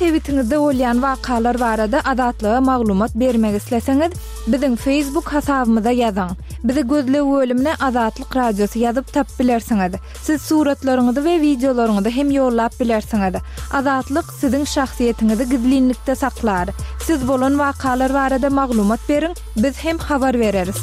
sebitiňizde bolýan wakalar barada Azatlyga maglumat bermek isleseňiz, biziň Facebook hasabymyza ýazyň. Bizi gözleg bölümine Azatlyk Radiosy ýazyp tapyp bilersiňiz. Siz suratlaryňyzy we wideolaryňyzy hem ýollap bilersiňiz. Azatlyk siziň şahsyýetiňizi gizlinlikde saklar. Siz bolan wakalar barada maglumat beriň, biz hem habar bereris.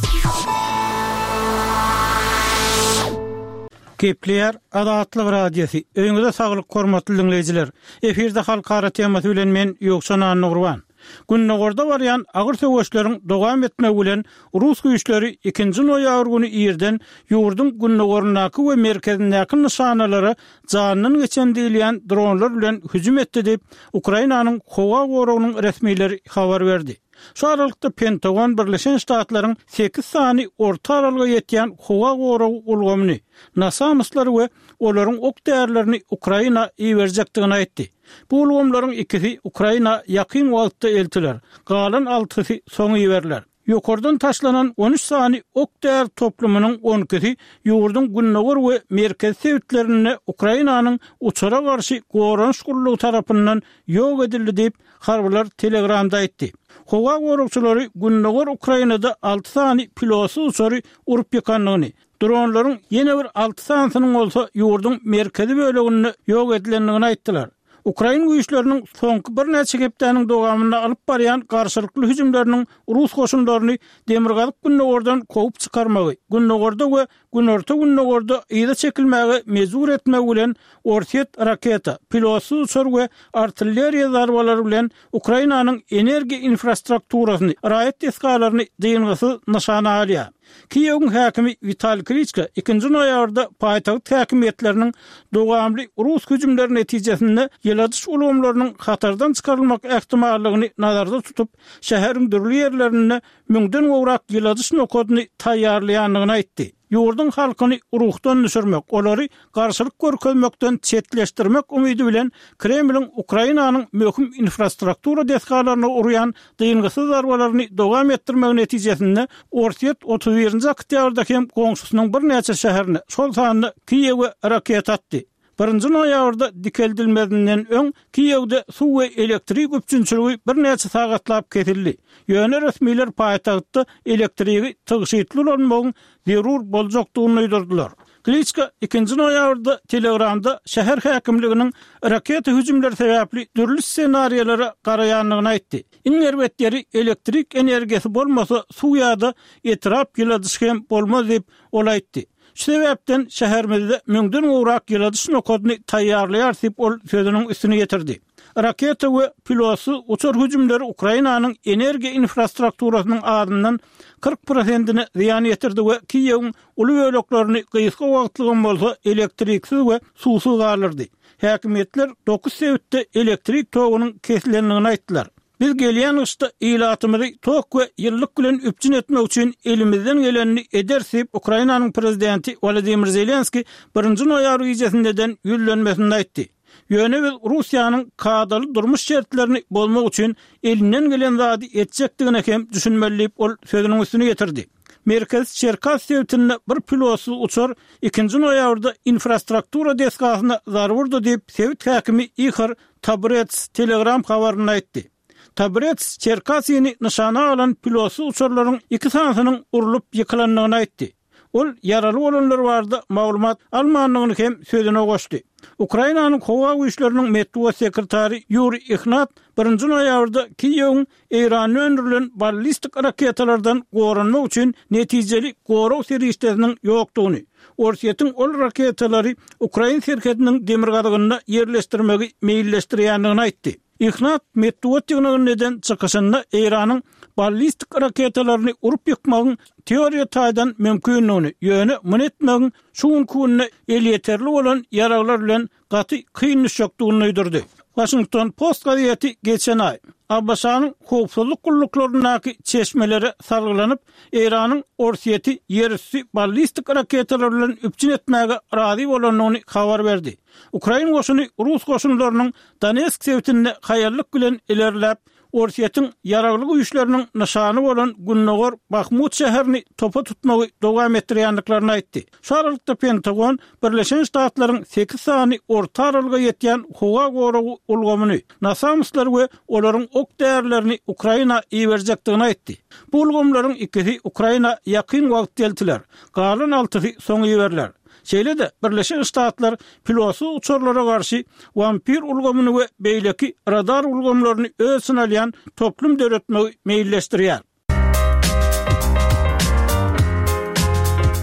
Gepleýär Azatlyk Radiosy. Öýüňize saglyk hormatly diňleýjiler. Efirde halkara temasy bilen men Ýowşan Annagurban. Gündogarda barýan agyr söweşleriň dowam etmegi bilen rus güýçleri ikinji noýabr güni irden ýurduň gündogaryndaky we merkezindäki nyşanalara janyndan geçen diýilýän dronlar bilen hüjüm etdi diýip, Ukrainanyň howa goragynyň resmileri habar berdi. Şu aralykda Pentagon Birleşen Ştatlaryň sekiz sany orta aralyga ýetýän howa goragy ulgamyny, NASAMS-lary we olaryň ok-därilerini Ukraina iberjekdigini aýtdy. Bu ulgamlaryň ikisi Ukraina ýakyn wagtda eltiler, galan altysy soň iberiler. Ýokardan taşlanan on üç sany ok-däri toplumynyň on ikisi ýurduň gündogar we merkezi sebitlerinde Ukrainanyň uçara garşy goranyş gullugy tarapyndan ýok edildi diýip, harbylar Telegramda aýtdy. Howa goragçylary gündogar Ukrainada alty sany pilotsyz uçary urup ýykandygyny, dronlaryň ýene bir alty sanysynyň bolsa ýurduň merkezi böleginde ýok edilendigini aýtdylar. Ukrain güýçleriniň soňky birnäçe hepdäniň dowamynda alyp barýan garşylykly hüjümleriniň rus goşunlaryny demirgazyk-gündogardan kowup çykarmagy, gündogarda we günorta-gündogarda yza çekilmäge mejbur etmegi bilen Orsýet raketa, pilotsyz uçar we artilleriýa zarbalary bilen Ukrainanyň energiýa infrastrukturasyny, raýat desgalaryny dyngysyz nyşana alýar. Kiýewiň häkimi Witaliý Kliçko ikinji noýabrda paýtagt häkimiýetleriniň dowamly rus hüjümleri netijesinde ýyladyş ulgamlarynyň hatardan çykarylmak ähtimallygyny nazarda tutup, şäheriň dürli ýerlerinde müňden gowrak ýyladyş nokadyny taýýarlaýandygyny aýtdy. Ýurduň halkyny ruhdan düşürmek, olary garşylyk görkezmekden çetleşdirmek umydy bilen Kremliň Ukrainanyň möhüm infrastruktura desgalaryna urýan dyngysyz zarbalaryny dowam etdirmegi netijesinde Orsýet 31-nji oktýabrda hem goňşusynyň birnäçe şäherine, şol sanda Kiýewe raketa atdy. Birinji noýabrda dikeldilmezinden öň Kiýewde suw we elektrik üpjünçiligi birnäçe sagatlap kesildi. Ýöne resmiler paýtagtda elektrigi tygşytly ulanmagyň zerur boljakdygyny duýdurdylar. Kliçko ikinji noýabrda Telegramda şäher häkimliginiň raketa hüjümleri sebäpli dürli ssenariýalara garaýandygyny aýtdy. Iň erbet ýeri elektrik energiýasy bolmasa suw ýa-da etrap ýyladyşy hem bolmaz diýip, ol aýtdy. Şu sebäpden şäherimizde müňden gowrak ýyladyş nokadyny taýýarlaýarys diýip, ol sözüniň üstüni ýetirdi. Raketa we pilotsyz uçar hüjümleri Ukrainanyň energiýa infrastrukturasynyň azyndan 40 prosentine zyýan ýetirdi we Kiýewiň uly böleklerini gysga wagtlygam bolsa elektriksiz we suwsuz galdyrdy. Häkimiýetler dokuz sebitde elektrik togunyň kesilendigini aýtdylar. Biz gelýän gyşda ilatymyzy tok we ýylylyk bilen üpjün etmek üçin elimizden gelenini ederis diýip, Ukrainanyň prezidenti Wolodymyr Zelenskiý birinji noýabr gijesinde eden ýüzlenmesinde aýtdy. Ýöne biz Russiýanyň kadaly durmuş şertlerini bozmak üçin elinden gelen zady etjekdigine hem düşünmeli diýip, ol sözüniň üstüni ýetirdi. Merkezi Çerkas sebitinde bir pilotsyz uçar ikinji noýabrda infrastruktura desgasyna zarba urdy diýip, sebit häkimi Ihor Taburets Telegram habarynda aýtdy. Taburets Çerkasini nyşana alan pilotsyz uçarlaryň iki sanysynyň urlup ýykylandygyny aýtdy. Ol ýaraly bolanlar barada maglumat almandygyny hem sözüne goşdy. Ukrainanyň howa güýçleriniň metbugat sekretary Ýuriý Ihnat birinji noýabrda Kiýewiň Eýranda öndürilen ballistik raketalardan goranmak üçin netijeli gorag serişdesiniň ýokdugyny, Orsýetiň ol raketalary ukrain serhediniň demirgazygynda ýerleşdirmegi meýilleşdirýändigini aýtdy. Ihnat metbugat ýygnagynda eden çykyşynda Eýranyň ballistik raketalaryny urup ýykmagyň teoriýa taýdan mümkindigini, ýöne muny etmegiň şu günki günde elýeterli bolan ýaraglar bilen gaty kyn düşjekdigini duýdurdy. Waşington Post gazeti geçen aý, ABŞ-nyň howpsuzlyk gulluklaryndaky çeşmelere salgylanyp, Eýranyň Orsýeti ýerüsti ballistik raketalar bilen üpjün etmäge razy bolandygyny habar berdi. Ukrain goşuny rus goşunlarynyň Donetsk sebitinde haýallyk bilen ilerläp, Orsýetiň ýaragly güýçleriniň nyşany bolan gündogar Bahmut şäherini topa tutmagy dowam etdirýändiklerini aýtdy. Şu aralykda Pentagon Birleşen Ştatlaryň sekiz sany orta aralyga ýetýän howa goragy ulgamyny, NASAMS-lary we olaryň ok-därilerini Ukraina iberjekdigini aýtdy. Bu ulgamlaryň ikisi Ukraina ýakyn wagtda eltiler, galan altysy soň iberiler. Şeýle-de, Birleşen Ştatlar pilotsyz uçarlara garşy Wampir ulgamyny we beýleki radar ulgamlaryny öz içine alýan toplum döretmegi meýilleşdirýär.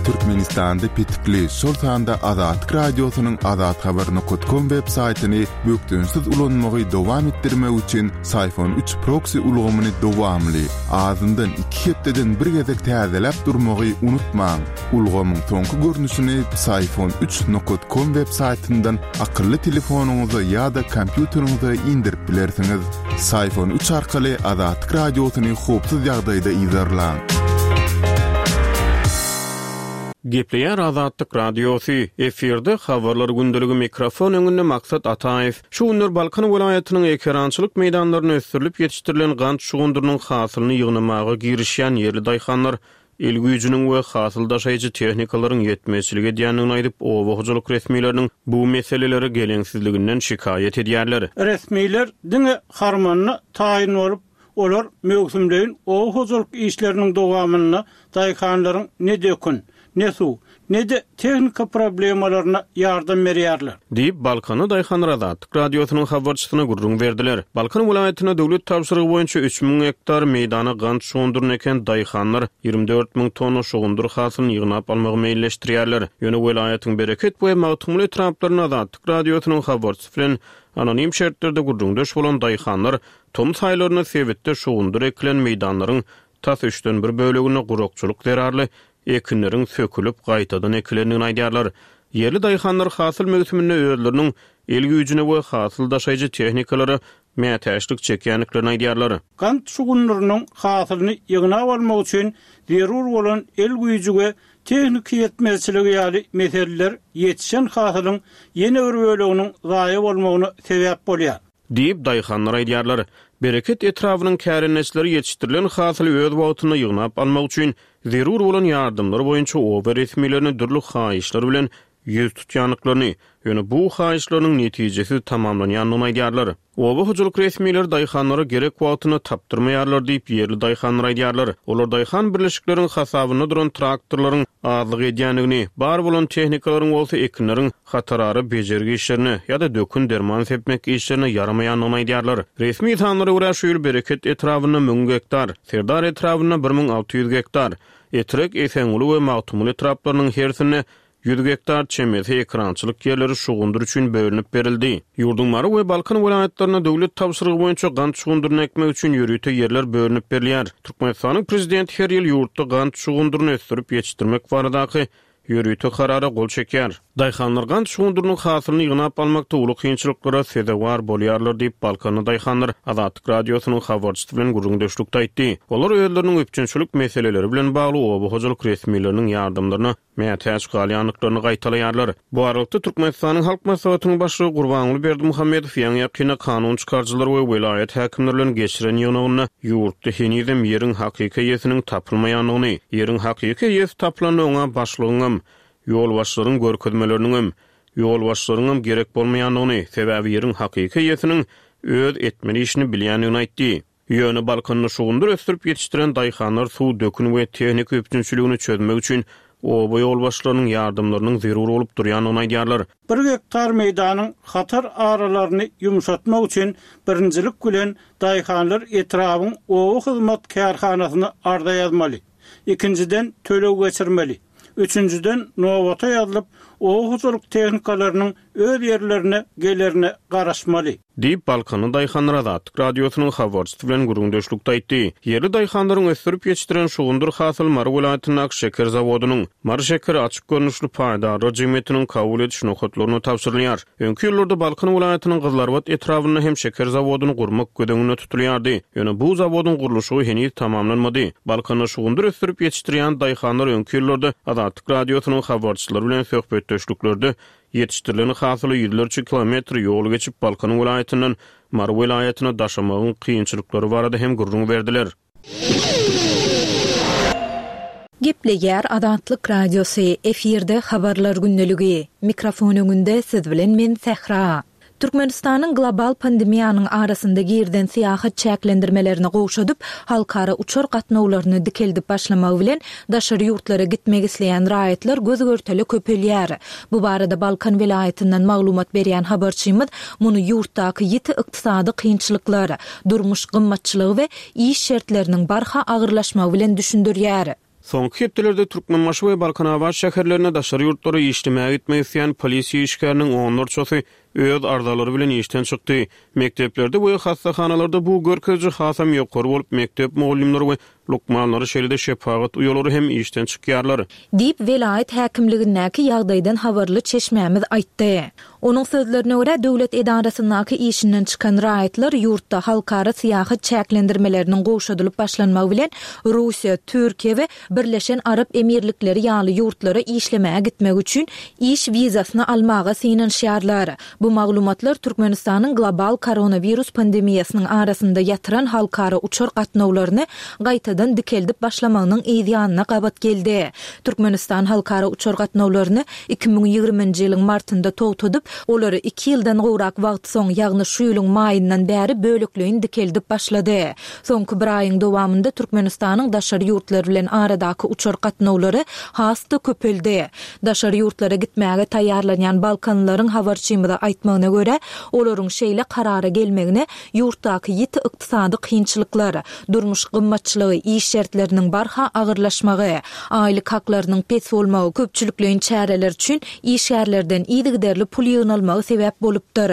Türkmenistanda petikli, şol sanda Azatlyk Radiosynyň azathabar nokat kom web saýtyny bökdençsiz ulanmagy dowam etdirmek üçin Syfon üç proksi ulgamyny dowamly, azyndan iki hepdeden bir gezek täzeläp durmagy unutmaň. Ulgamyň soňky görnüşini Psiphon üç nokat kom web saýtyndan akylly telefonyňyza ýa-da kompýuteriňize indirip bilersiňiz. Psiphon üç arkaly Azatlyk Radiosyny howpsuz ýagdaýda yzarlaň. Gepleýär Azatlyk Radiosy, efirde Habarlar gündeligi mikrofon öňünde Maksat Ataýew. Şu günler Balkan welaýatynyň ekerançylyk meýdanlarynda ösdürilip ýetişdirilen gant şugundyrynyň hasylyny ýygnamaga girişýän ýerli daýhanlar el güýjüniň we hasyl daşaýjy tehnikalaryň ýetmezçilik edýändigini aýdyp, oba hojalyk resmileriniň bu meselelere geleňsizliginden şikaýat edýärler. Resmiler diňe harmanda taýyn bolup, olar möwsümleýin oba hojalyk işleriniň dowamynda daýhanlaryň ne dökün, ne suw, ne-de tehnika problemalaryna ýardam berýärler. Diýip, balkanly daýhanlar Azatlyk Radiosynyň habarçysyna gürrüň berdiler. Balkan welaýatynda döwlet tabşyrygy boýunça 3000 gektar meýdana gant şugundyryny eken daýhanlar 24 000 tonna şugundyr hasylyny ýygnap almagy meýilleşdirýärler. Ýöne welaýatyň Bereket we Magtymguly etraplarynda Azatlyk Radiosynyň habarçysy bilen anonim şertlerde gürrüňdeş bolan daýhanlar tomus aýlarynda sebitde şugundyr ekilen meýdanlaryň tas üçden bir böleginde gurakçylyk zerarly ekinleriň sökülip, gaýtadan ekilendigini aýdýarlar. Ýerli daýhanlar hasyl möwsüminde özleriniň el güýjüne we hasyl daşaýjy tehnikalara mätäçlik çekýändiklerini aýdýarlar. Gant şugundyrynyň hasylyny ýygnap almak üçin zerur bolan el güýji we tehniki ýetmezçiligi ýaly meseleler ýetişen hasylyň ýene bir böleginiň zaýa bolmagyna sebäp bolýar. Diýip, daýhanlar aýdýarlar. Bereket etrabynyň kärendeçileri ýetişdirilen hasyly öz wagtynda ýygnap almak üçin zerur bolan ýardamlar boýunça oba resmilerine dürli haýyşlar bilen ýüz tutýandyklaryny, ýöne bu haýyşlarynyň netijesiz tamamlanýandygyny aýdýarlar. Oba hojalyk resmileri daýhanlara gerek wagtynda tapdyrmaýarlar diýip, ýerli daýhanlar aýdýarlar. Olar daýhan birleşikleriň hasabynda duran traktorlaryň azlyk edýändigini, bar bolan tehnikalaryň bolsa ekinleriň hatarara bejergi işlerine ýa-da dökün-derman sepmek işlerine ýaramaýandygyny aýdýarlar. Resmi sanlara görä, şu ýyl Bereket etrabynda 1000 gektar, Serdar etrabynda 1600 gektar, Etrek, Esenguly we Magtymguly etraplarynyň hersinde 100 gektar çemesi ekerançylyk ýerleri şugundyr üçin bölünip berildi. Ýurduň Mary we Balkan welaýatlarynda döwlet tabşyrygy boýunça gant şugundyryny ekmek üçin ýörite ýerler bölünip berilýär. Türkmenistanyň Prezidenti her ýyl ýurtda gant şugundyryny ösdürip ýetişdirmek baradaky ýörite karara gol çekýär. Daýhanlar gant şugundyrynyň hasylyny ýygnap almakda uly kynçylyklara sezewar bolýarlar diýip, balkanly daýhanlar Azatlyk Radiosynyň habarçysy bilen gürrüňdeşlikde aýtdy. Olar özleriniň üpjünçilik meseleleri bilen bagly oba hojalyk resmileriniň ýardamlaryna mätäç galýandyklaryny gaýtalaýarlar. Bu aralykda, Türkmenistanyň Halk Maslahatynyň Başlygy Gurbanguly Berdimuhamedow ýaňy-ýakynda kanun çykaryjylar we welaýat häkimleri bilen geçiren ýygnagynda ýurtda henizem ýeriň hakyky eýesiniň tapylmaýandygyny, ýeriň hakyky eýesi tapylanda oňa başlygyňam, ýolbaşçylaryň görkezmeleriniňem, ýolbaşçylaryňam gerek bolmaýandygyny, sebäbi ýeriň hakyky eýesiniň öz etmeli işini bilýändigini aýtdy. Ýöne Balkanda şugundyr ösdürip ýetişdiren daýhanlar suw, dökün we tehnika üpjünçiligini çözmek üçin oba ýolbaşçylarynyň ýardamlarynyň zerur bolup durýandygyny aýdýarlar. Bir gektar meýdanyň hatar aralaryny ýumşatmak üçin birinjilik bilen daýhanlar etrabyň oba hyzmat kärhanasyna arza ýazmaly. Ikinjiden, töleg geçirmeli. Üçünjiden, nobata ýazylyp, oba hojalyk tehnikalarynyň öz ýerlerine gelerine garaşmaly. Diýip, balkanly daýhanlar Azatlyk Radiosynyň habarçysy bilen gürrüňdeşlikde aýtdy. Ýerli daýhanlaryň ösdürip ýetişdiren şugundyr hasyly Mary welaýatyndaky şeker zawodynyň, Mary şekeri açyk görnüşli paýdarlar jemgyýetiniň kabul ediş nokatlaryna tabşyrylýar. Öňki ýyllarda Balkan welaýatynyň Gyzylarbat etrabynda hem şeker zawodyny gurmak göz öňünde tutulýardy. Ýöne bu zawodyň gurluşygy heniz tamamlanmady. Balkanda şugundyr ösdürip ýetişdirýän daýhanlar öňki ýyllarda Azatlyk Radiosynyň habarçylary bilen söhbetdeşliklerde. Ýetişdirilen hasyly ýüzlerçe kilometr ýol geçip Balkan welaýatyndan Mary welaýatyna daşamagyň kynçylyklary barada hem gürrüň berdiler. Gepleýär Azatlyk Radiosy, efirde Habarlar gündeligi. Mikrofon öňünde siz bilen men Sähra. Türkmenistanyň global pandemiýanyň arasynda girizen syýahat çäklendirmelerini gowşadyp, halkara uçar gatnawlaryny dikeldip başlamagy bilen, daşary ýurtlara gitmek isleýän raýatlar göz-görtele köpelýär. Bu barada Balkan welaýatyndan maglumat berýän habarçymyz muny ýurtdaky ýiti ykdysady kynçylyklar, durmuş gymmatçylygy we iş şertleriniň barha agyrlaşmagy bilen düşündirýär. Soňky hepdelerde Türkmenbaşy we Balkanabat şäherlerinde daşary ýurtlara işlemäge gitmek isleýän polisiýa işgäriniň onlarçasy öz arzalary bilen işden çykdy. Mekdeplerde we hassahanalarda bu görkeziji hasam ýokary bolup, mekdep mugallymlary we lukmanlary, şeýle-de şepagat uýalary hem işden çykýarlar. Diýip, welaýat häkimligindäki ýagdaýdan habarly çeşmämiz aýtdy. Onuň sözlerine görä, döwlet edarasyndaky işinden çykan raýatlar ýurtda halkara syýahat çäklendirmeleriniň gowşadylyp başlanmagy bilen Russiýa, Türkiýe we Birleşen Arap Emirlikleri ýaly ýurtlara işlemäge gitmek üçin iş wizasyny almaga synanyşýarlar. Bu maglumatlar Türkmenistanyň global koronawirus pandemiýasynyň arasynda ýatyran halkara uçar gatnawlaryny gaýtadan dikeldip başlamagynyň yz ýanyna gabat geldi. Türkmenistan halkara uçar gatnawlaryny 2020-nji ýylyň martynda togtadyp, olary iki ýyldan gowrak wagt soň, ýagny şu ýylyň maýyndan bäri bölekleýin dikeldip başlady. Soňky bir aýyň dowamynda Türkmenistanyň daşary ýurtlar bilen aradaky uçar gatnawlary has-da köpeldi. Daşary ýurtlara gitmäge taýýarlanýan balkanlylaryň habarçymyza aýtmagyna görä, olaryň şeýle karara gelmegine ýurtdaky ýiti ykdysady kynçylyklar, durmuş gymmatçylygy, iş şertleriniň barha agyrlaşmagy, aýlyk haklarynyň pes bolmagy, köpçülikleýin çäreler üçin işgärlerden yzygiderli pul ýygnalmagy sebäp bolupdyr.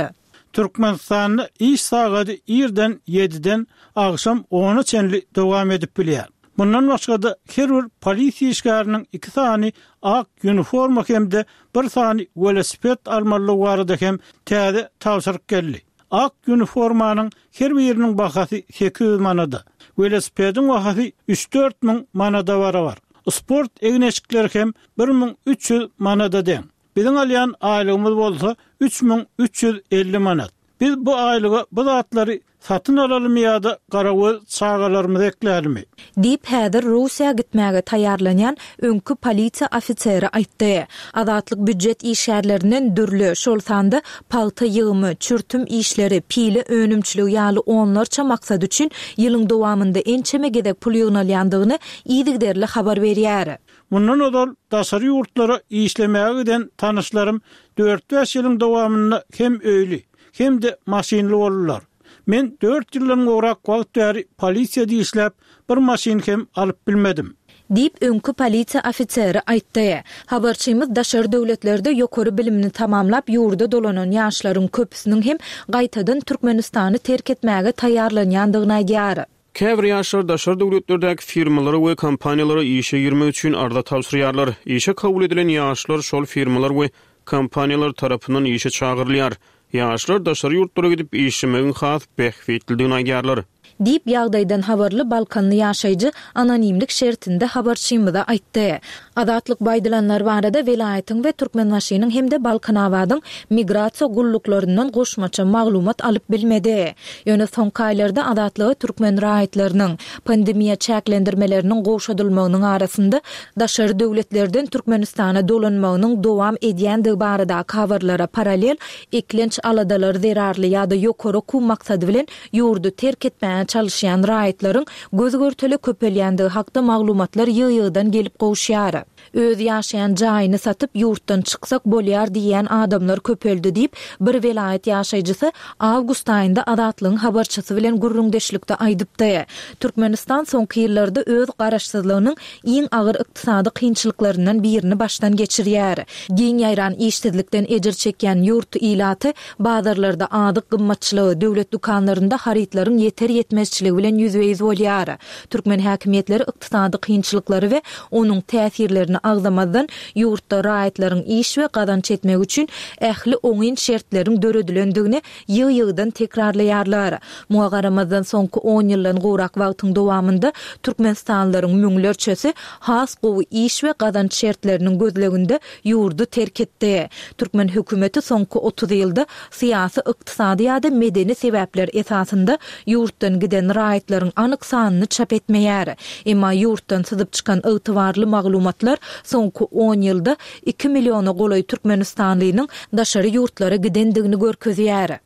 Türkmenistanda iş sagady irden ýediden agşam ona çenli dowam edip bilýär. Mundan başga-da, her bir polisiýa işgäriniň iki sany ak uniforma hem-de bir sany welosiped almalydygy barada hem täze tabşyryk geldi. Ak uniformanyň her biriniň bahasy 800 manada, welosipediň bahasy üç-dört müň manada barabar. Sport egin-eşikleri hem 1300 manada deň. Biziň alýan aýlygymyz bolsa 3350 manat. Biz bu aýlyga bu zatlary satyn alalymy ýa-da garagöz çagalarymyzy eklälimi? Diýip, häzir Russiýa gitmäge taýýarlanýan öňki polisiýa ofiseri aýtdy. Azatlyk býujet işgärlerinden dürli, şol sanda pagta ýygymy, çürtüm işleri, pile önümçiligi ýaly onlarça maksat üçin ýylyň dowamynda ençeme gezek pul ýygnalýandygyny yzygiderli habar berýär. Mundan ozal daşary ýurtlara işlemäge giden tanyşlarym dört-bäş ýylyň dowamynda hem öýli, hem-de maşynly boldular. Men dört ýyldan gowrak wagt bäri polisiýada işläp, bir maşyn hem alyp bilmedim. Diýip, öňki polisiýa ofiseri aýtdy. Habarçymyz daşary döwletlerde ýokary bilimini tamamlap ýurda dolanan ýaşlaryň köpüsiniň hem gaýtadan Türkmenistany terk etmäge taýýarlanýandygyny aýdýar. Käbir ýaşlar daşary döwletlerdäki firmalara we kompaniýalara işe girmek üçin arza tabşyrýarlar. Işe kabul edilen ýaşlar şol firmalar we kompaniýalar tarapyndan işe çagyrylýar. Ýaşlar daşary ýurtlara gidip işlemegiň has bähbitlidigini aýdýarlar. Diýip, ýagdaýdan habarly balkanly ýaşaýjy anonimlik şertinde habarçymyza aýtdy. Azatlyk bu aýdylanlar barada welaýatyň we Türkmenbaşynyň hem-de Balkanabadyň migrasiýa gulluklaryndan goşmaça maglumat alyp bilmedi. Ýöne soňky aýlarda Azatlyga türkmen raýatlarynyň, pandemiýa çäklendirmeleriniň gowşadylmagynyň arasynda daşary döwletlerden Türkmenistana dolanmagynyň dowam edýändigi baradaky habarlara parallel eklenç aladalary zerarly ýa-da ýokary okuw maksady bilen ýurdy terk etmäge çalyşýan raýatlaryň göz-görtele köpelýändigi hakda maglumatlar ýygy-ýygydan gelip gowuşýar. Öz ýaşaýan jaýyny satyp, ýurtdan çyksak bolýar diýýän adamlar köpeldi diýip, bir welaýat ýaşaýjysy awgust aýynda Azatlygyň habarçysy bilen gürrüňdeşlikde aýdypdy. Türkmenistan soňky ýyllarda öz garaşsyzlygynyň iň agyr ykdysady kynçylyklaryndan birini başdan geçirýär. Giň ýaýran işsizlikden ejir çekýän ýurt ilaty Bazarlarda azyk gymmatçylygy, döwlet dükanlarynda harytlaryň ýeter-ýetmezçiligi bilen ýüzbe-ýüz bolýar. Türkmen häkimiýetleri ykdysady kynçylyklary we onuň täsirlerini. atlaryny agzamazdan ýurtda raýatlaryň iş we gazanç etmegi üçin ähli oňyn şertleriň döredilendigini ýygy-ýygydan tekrarlaýarlar. Muňa garamazdan soňky on ýyldan gowrak wagtyň dowamynda türkmenistanlylaryň müňlerçesi has gowy iş we gazanç şertleriniň gözleginde ýurdy terk etdi. Türkmen hökümeti soňky 30 ýylda syýasy, ykdysady ýa-da medeni sebäpler esasynda ýurtdan giden raýatlaryň anyk sanyny çap etmeýär. Emma ýurtdan syzyp çykan ygtybarly maglumatlar soňky on ýylda iki milliona golaý türkmenistanlynyň daşary ýurtlara gidendigini görkezýär.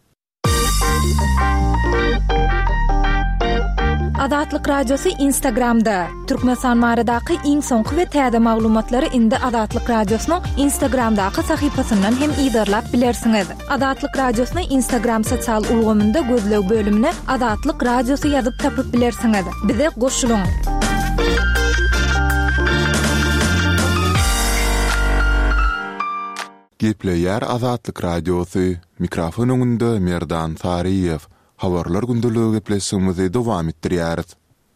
Azatlyk Radiosy Instagramda, Türkmenistan baradaky iň soňky we täze maglumatlary indi Azatlyk Radiosynyň Instagramdaky sahypasyndan hem yzarlap bilersiňiz. Azatlyk Radiosyny Instagram sosial ulgamynda gözleg bölümine Azatlyk Radiosy ýazyp tapyp bilersiňiz. Bize goşulyň! Gepleýär Azatlyk Radiosy, mikrofon öňünde Merdan Saryýew. Habarlar gündeligi gepleşigimizi dowam etdirýäris.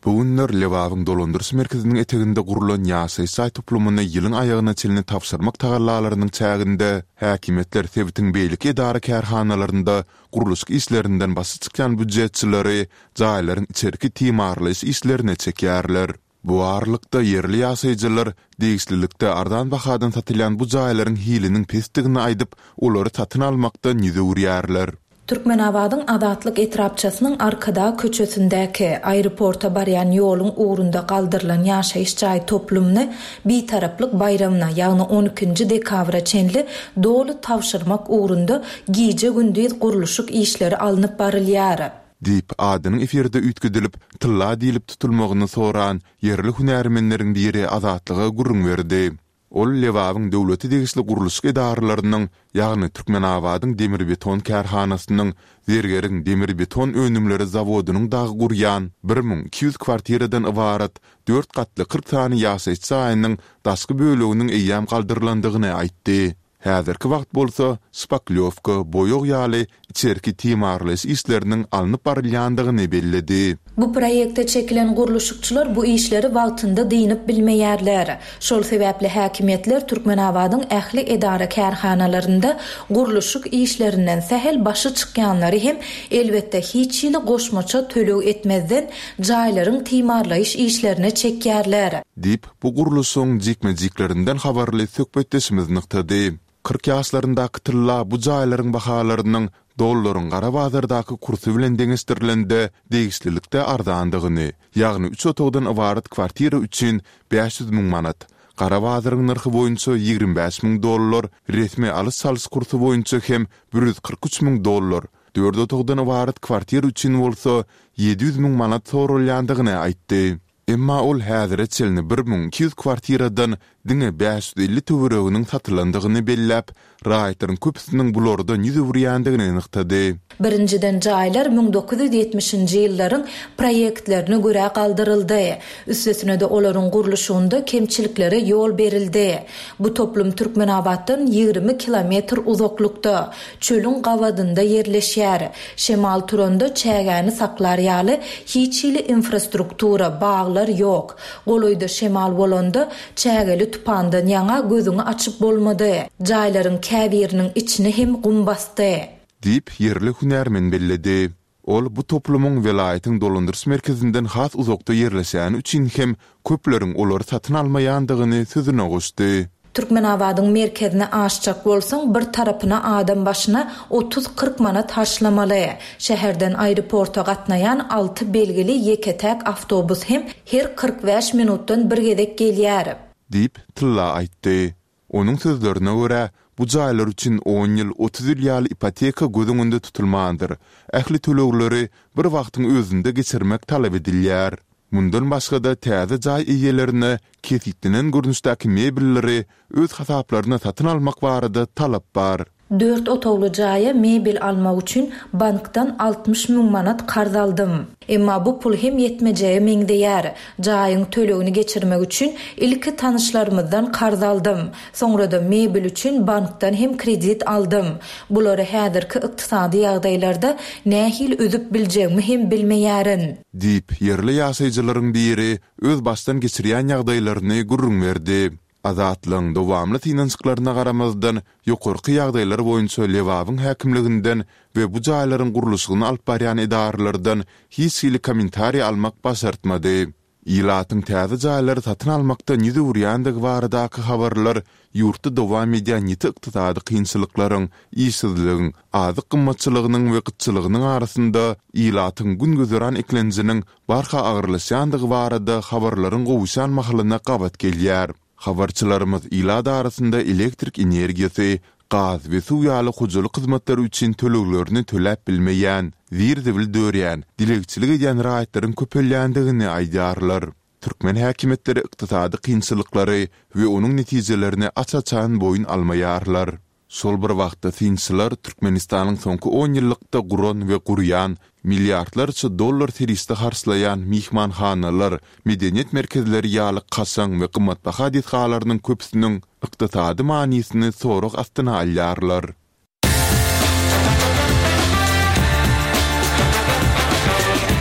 Bu günler Lebabyň dolandyryş merkeziniň eteginde gurlan ýaşaýyş jaý toplumyny ýylyň aýagyna çenli tabşyrmak tagallalarynyň çäginde häkimiýetler sebitiň beýleki edara-kärhanalarynda gurluşyk işlerinden başy çykýan býujetçileri jaýlaryň içerki timarlaýyş işlerine çekýärler. Bu aralykda, ýerli ýaşaýjylar degişlilikde arzan bahadan satylýan bu jaýlaryň hiliniň pesdigini aýdyp, olary satyn almakdan ýüz öwürýärler. Türkmenabadyň Azatlyk etrapçasynyň Arkadag köçesindäki, aeroporta barýan ýoluň ugrunda galdyrylan ýaşaýyş jaý toplumyny Bitaraplyk baýramyna, ýagny on ikinji dekabra çenli doly tabşyrmak ugrunda gije-gündiz gurluşyk işleri alnyp barylýar. Diýip, adynyň efirde üýtgedilip, Tylla diýlip tutulmagyny soran ýerli hünärmenleriň biri Azatlyga gürrüň berdi. Ol Lebabyň döwlete degişli gurluşyk edaralarynyň, ýagny Türkmenabadyň demirbeton kärhanasynyň, Zergeriň demirbeton önümleri zawodynyň dagy gurýan 1200 kwartiradan ybarat dört gatly 40 sany ýaşaýyş jaýynyň daşky böleginiň eýýäm galdyrylandygyny aýtdy. Häzirki wagt bolsa şpaklýowka, boýag ýaly içerki timarlaýyş işleriniň alnyp barylýandygyny belledi. Bu proýekte çekilen gurluşykçylar bu işleri wagtynda dynyp bilmeýärler. Şol sebäpli häkimiýetler Türkmenabadyň ähli edara-kärhanalarynda gurluşyk işlerinden sähel başy çykýanlary hem, elbetde, hiç hili goşmaça töleg etmezden, jaýlaryň timarlaýyş işlerine çekýärler. Diýip, bu gurluşygyň jikme-jiklerinden habarly söhbetdeşimiz nygtady. 40 ýaşlaryndaky Tylla bu jaýlaryň bahalarynyň dollaryň gara bazardaky kursy bilen deňeşdirilende degişlilikde arzandygyny, ýagny üç otagdan ybarat kwartira üçin 500 müň manat, gara bazaryň nyrhy boýunça 25 müň dollar, resmi alyş-çalyş kursy boýunça hem 143 müň dollar, dört otagdan ybarat kwartira üçin bolsa 700 müň manat soralýandygyny aýtdy. Emma ol häzire çenli 1200 kwartiradan diňe 550 töwereginiň satylandygyny belläp, raýatlaryň köpüsiniň bulardan ýüz öwürýändigini nygtady. Birinjiden jaýlar 1970-nji ýyllaryň proýektlerine görä galdyryldy. Üstesine-de olaryň gurluşygynda kemçiliklere ýol berildi. Bu toplum Türkmenabatdan 20 kilometr uzaklykda, çölüň gabadynda ýerleşýär. Şemal turanda çägäni saklar ýaly hiç hili infrastruktura, baglar ýok. Golaýda şemal bolanda, çägeli tupandan ýaňa gözüňi açyp bolmady. Jaýlaryň käbiriniň içini hem gum basdy. Diýip, ýerli hünärmen belledi. Ol bu toplumyň welaýatyň dolandyryş merkezinden has uzakda ýerleşýäni üçin hem köpleriň olary satyn almaýandygyny sözüne goşdy. Türkmenabadyň merkezine aşjak bolsaň, bir tarapyna adam başyna otuz-kyrk manat harçlamaly. Şäherden aeroporta gatnaýan alty belgili ýeke-täk awtobus hem her 45 minutdan bir gezek gelýär. Diýip, Tylla aýtdy. Onuň sözlerine görä, bu jaýlar üçin on ýyl, 30 ýyl ýaly ipoteka göz öňünde tutulmandyr, ähli tölegleri bir wagtyň özünde geçirmek talap edilýär. Mundan başga-da, täze jaý eýelerine kesgitlenen görnüşdäki mebelleri öz hasaplaryna satyn almak barada talap bar. Dört otagly jaýa mebel almak üçin bankdan 60 müň manat karz aldym. Emma bu pul hem ýetmejege meňzeýär. Jaýyň tölegini geçirmek üçin ilki tanyşlarymyzdan karz aldym. Soňra-da mebel üçin bankdan hem kredit aldym. Bulary häzirki ykdysady ýagdaýlarda nähili üzüp biljegimi hem bilmeýärin. Diýip, ýerli ýaşaýjylaryň biri öz başdan geçirýän ýagdaýlaryny gürrüň berdi. Azatlygyň dowamly synanyşyklaryna garamazdan, ýokarky ýagdaýlar boýunça Lebabyň häkimliginden we bu jaýlaryň gurluşygyny alyp barýan edaralardan hiç hili kommentariý almak başartmady. Ilatyň täze jaýlary satyn almakdan ýüz öwürýändigi baradaky habarlar ýurtda dowam edýän ýiti ykdysady kynçylyklaryň, işsizligiň, azyk gymmatçylygynyň we gytçylygynyň arasynda ilatyň gün-güzeran eklenjiniň barha agyrlaşýandygy barada habarlaryň gowuşýan mahalyna gabat gelýär. Habarçylarymyz ilat arasynda elektrik energiýasy, gaz we suw ýaly hojalyk hyzmatlary üçin töleglerini töläp bilmeýän, zir-zibil dörýän, dilegçilik edýän raýatlaryň köpelýändigini aýdýarlar. Türkmen häkimiýetleri ykdysady kynçylyklary we onuň netijelerini aç-açan boýun almaýarlar. Şol bir wagtda synçylar Türkmenistanyň soňky on ýyllykda guran we gurýan, milliardlarça dollar serişde harçlaýan myhmanhanalar, medeniýet merkezleri ýaly kaşaň we gymmatbaha desgalarynyň köpüsiniň ykdysady manysyny sorag astyna alýarlar.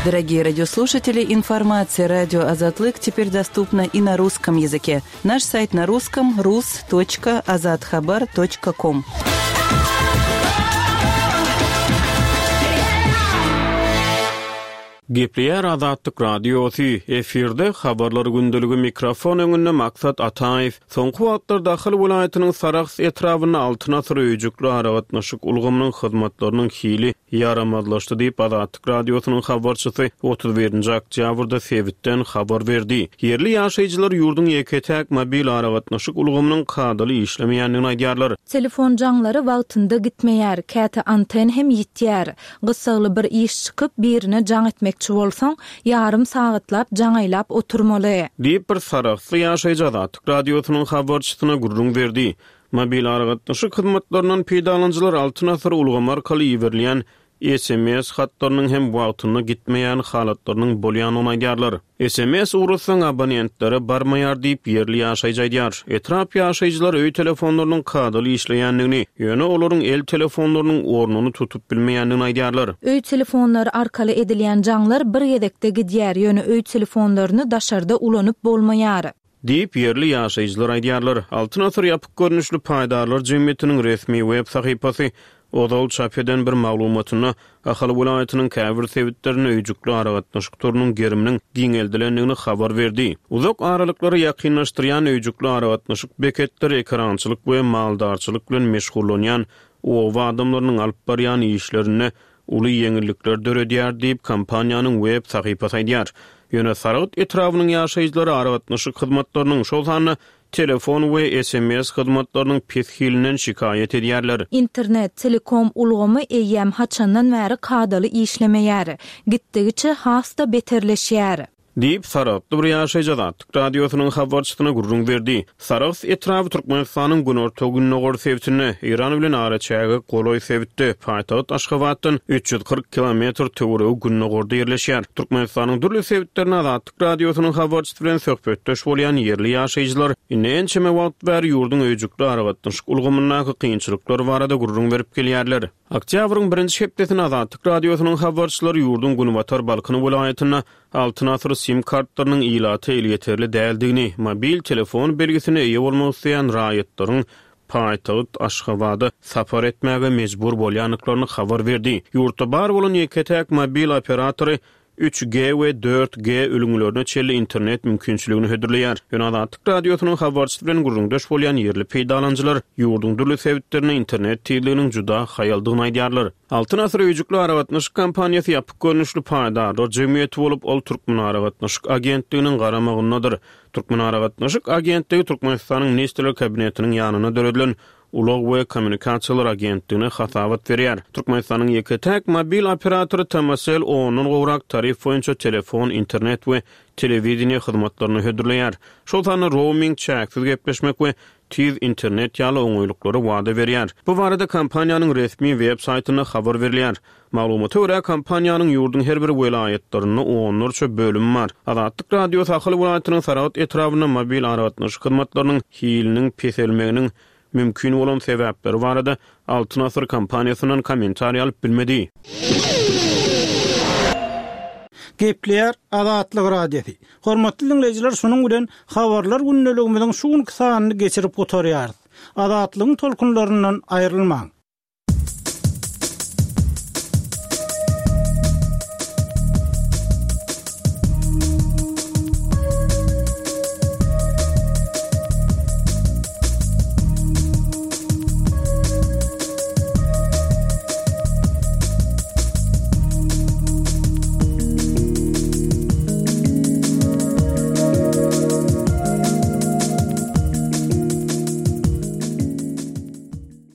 Дорогие радиослушатели, информация радио Азатлык теперь доступна и на русском языке. Наш сайт на русском rus.azathabar.com. Gepleýär Azatlyk Radiosy, efirde Habarlar gündeligi mikrofon öňünde Maksat Ataýew. Soňky wagtlarda Ahal welaýatynyň Sarahs etrabynda Altyn asyr öýjükli aragatnaşyk ulgamynyň hyzmatlarynyň hili ýaramazlaşdy diýip, Azatlyk Radiosynyň habarçysy 31-nji oktýabrda sebitden habar berdi. Ýerli ýaşaýjylar ýurduň ýeke-täk mobil aragatnaşyk ulgamynyň kadaly işlemeýändigini aýdýarlar. Telefon jaňlary wagtynda gitmeýär, käte anten hem ýitýär. Gyssagly bir iş çykyp, birine jaň etmekçi bolsaň, ýarym sagatlap jaň aýlap oturmaly. Diýip, bir sarahsly ýaşaýjy Azatlyk Radiosynyň habarçysyna gürrüň berdi. Mobil aragatnaşyk hyzmatlaryndan peýdalanyjylar Altyn asyr ulgamy arkaly iberilýän sms hatlarynyň hem wagtynda gitmeýän halatlarynyň bolýandygyny aýdýarlar. Sms ugratsaň abonentlere barmaýar diýip, ýerli ýaşaýjy aýdýar. Etrap ýaşaýjylary öý telefonlarynyň kadaly işleýändigini, ýöne olaryň el telefonlarynyň ornuny tutup bilmeýändigini aýdýarlar. Öý telefonlary arkaly edilýän jaňlar bir gezekde gidýär, ýöne öý telefonlaryny daşarda ulanyp bolmaýar. Diýip, ýerli ýaşaýjylar aýdýarlar. Altyn asyr ýapyk görnüşli paýdarlar jemgyýetiniň resmi web sahypasy ozal çap eden bir maglumatynda Ahal welaýatynyň käbir sebitlerinde öýjükli aragatnaşyk torunyň geriminiň giňeldilendigini habar berdi. Uzak aralyklary ýakynlaşdyrýan öýjükli aragatnaşyk beketleri ekerançylyk we maldarçylyk bilen meşgullanýan oba adamlarynyň alyp barýan işlerinde uly ýeňillikler döredýär diýip, kompaniýanyň web sahypasy aýdýar. Ýöne Saragt etrabynyň ýaşaýjylary aragatnaşyk hyzmatlarynyň, şol sanda telefon we sms hyzmatlarynyň pes hilinden şikaýat edýärler. Internet, telekom ulgamy eýýäm haçandan bäri kadaly işlemeýär. Gitdigiçe has-da beterleşýär. Diýip, saragtly bir ýaşaýjy Azatlyk Radiosynyň habarçysyna gürrüň berdi. Sarahs etraby Türkmenistanyň günorta-gündogar sebitinde, Eýran bilen araçäge golaý sebitde, paýtagt Aşgabatdan 340 kilometr töweregi gündogarda ýerleşýär. Türkmenistanyň dürli sebitlerinde Azatlyk Radiosynyň habarçysy bilen söhbetdeş bolýan ýerli ýaşaýjylar indi ençeme wagt bäri ýurduň öýjükli aragatnaşyk ulgamyndaky kynçylyklar barada gürrüň berip gelýärler. Oktýabryň birinji hepdesinde Azatlyk Radiosynyň habarçylary ýurduň günbatar Balkan welaýatynda Altyn asyr sim kartlarynyň ilata elýeterli däldigini, mobil telefon belgisine eýe bolmak isleýän raýatlaryň paýtagt Aşgabada sapar etmäge mejbur bolýandyklaryny habar berdi. Ýurtda bar bolan ýeke-täk mobil operatory üç G we dört G ülňülerine çenli internet mümkinçiligini hödürleýär. Ýöne Azatlyk Radiosynyň habarçysy bilen gürrüňdeş bolýan ýerli peýdalanyjylar ýurduň dürli sebitlerinde internet tizliginiň juda haýaldygyny aýdýarlar. Altyn asyr öýjükli aragatnaşyk kompaniýasy ýapyk görnüşli paýdarlar jemgyýeti bolup, ol Türkmenaragatnaşyk agentliginiň garamagyndadyr. Türkmenaragatnaşyk agentligi Türkmenistanyň Ministrler Kabinetiniň ýanynda döredilen Ulag we kommunikasiýalar agentligine hasabat berýär. Türkmenistanyň ýeke-täk mobil operatory Tmcell ondan gowrak tarif boýunça telefon, internet we telewideniýe hyzmatlaryny hödürleýär. Şol sanda rouming, çäksiz gepleşmek we tiz internet ýaly oňaýlyklary wada berýär. Bu barada kompaniýanyň resmi web saýtynda habar berilýär. Maglumata görä, kompaniýanyň ýurduň her bir welaýatlarynda onlarça bölümi bar. Azatlyk Radiosy Ahal welaýatynyň Saragt etrabynda mobil aragatnaşyk hyzmatlarynyň hiliniň peselmeginiň mümkin bolan sebäpleri barada Altyn Asyr kompaniýasyndan kommentariý alyp bilmedi. Gepleýär Azatlyk Radiosy. Hormatly diňleýjiler şunuň bilen Habarlar gündeligimiziň şu günki sanyny geçirip gutarýarys. Azatlygyň tolkunlaryndan aýrylmaň.